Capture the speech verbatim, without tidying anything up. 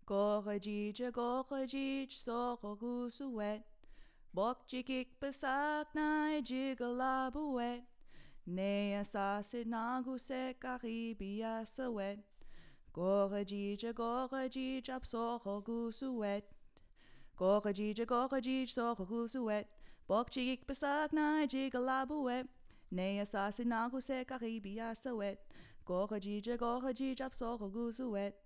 Gorajija gorajij sohogusuet. Bok jikik besak na jigalabuet. Nea sasid naguse karibia sawet. Gorajija gorajij absohogusuet. Gorajija gorajij sohogusuet. Bok jikik besak na jigalabuet. Nea sasid naguse karibia sawet. Gorajija gorajij absohogusuet.